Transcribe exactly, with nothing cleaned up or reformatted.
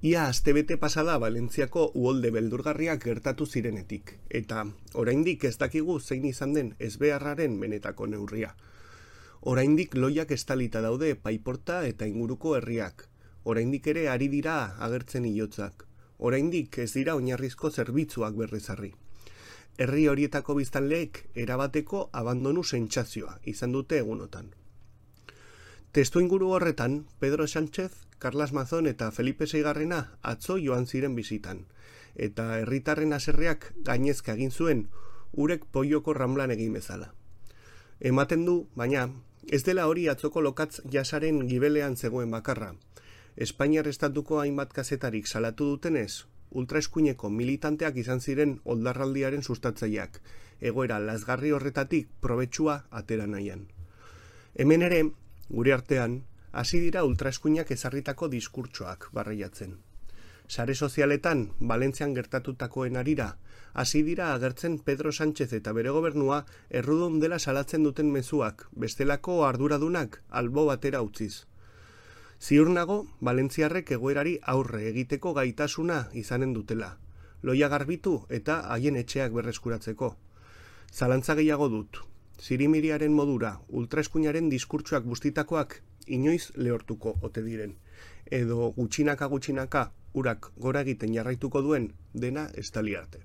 Ia astebete pasada Valentziako uholde beldurgarriak gertatu zirenetik, eta oraindik ez dakigu zein izan den ezbeharraren benetako neurria. Oraindik loiak estalita daude Paiporta eta inguruko herriak. Oraindik ere ari dira agertzen ilotzak. Oraindik ez dira oinarrizko zerbitzuak berrizarri. Herri horietako biztanleek erabateko abandonu sentsazioa izan dute egunotan. Testu inguru horretan, Pedro Sánchez, Carlas Mazón eta Felipe Seigarrena atzo joan ziren bisitan, eta herritarren haserreak gainezka egin zuen urek poioko Ramblan egin bezala. Ematen du, baina, ez dela hori atzoko lokatz jasaren gibelean zegoen bakarra. Espainiar estatuko hainbat kazetarik salatu dutenez, ultraeskuineko militanteak izan ziren oldarraldiaren sustatzaileak, egoera lazgarri horretatik probetxua atera nahian. Hemen ere, gure artean, hasi dira ultraeskuinak ezarritako diskurtsoak barreiatzen. Sare sozialetan, Valentzian gertatutakoen arira, hasi dira agertzen Pedro Sánchez eta bere gobernua errudun dela salatzen duten mezuak, bestelako arduradunak albo batera utziz. Ziur nago, valentziarrek egoerari aurre egiteko gaitasuna izanen dutela, loia garbitu eta haien etxeak berreskuratzeko. Zalantza gehiago dut, zirimiriaren modura, ultraeskuinaren diskurtsoak bustitakoak inoiz lehortuko ote diren, edo gutxinaka gutxinaka urak gora egiten jarraituko duen dena estali arte.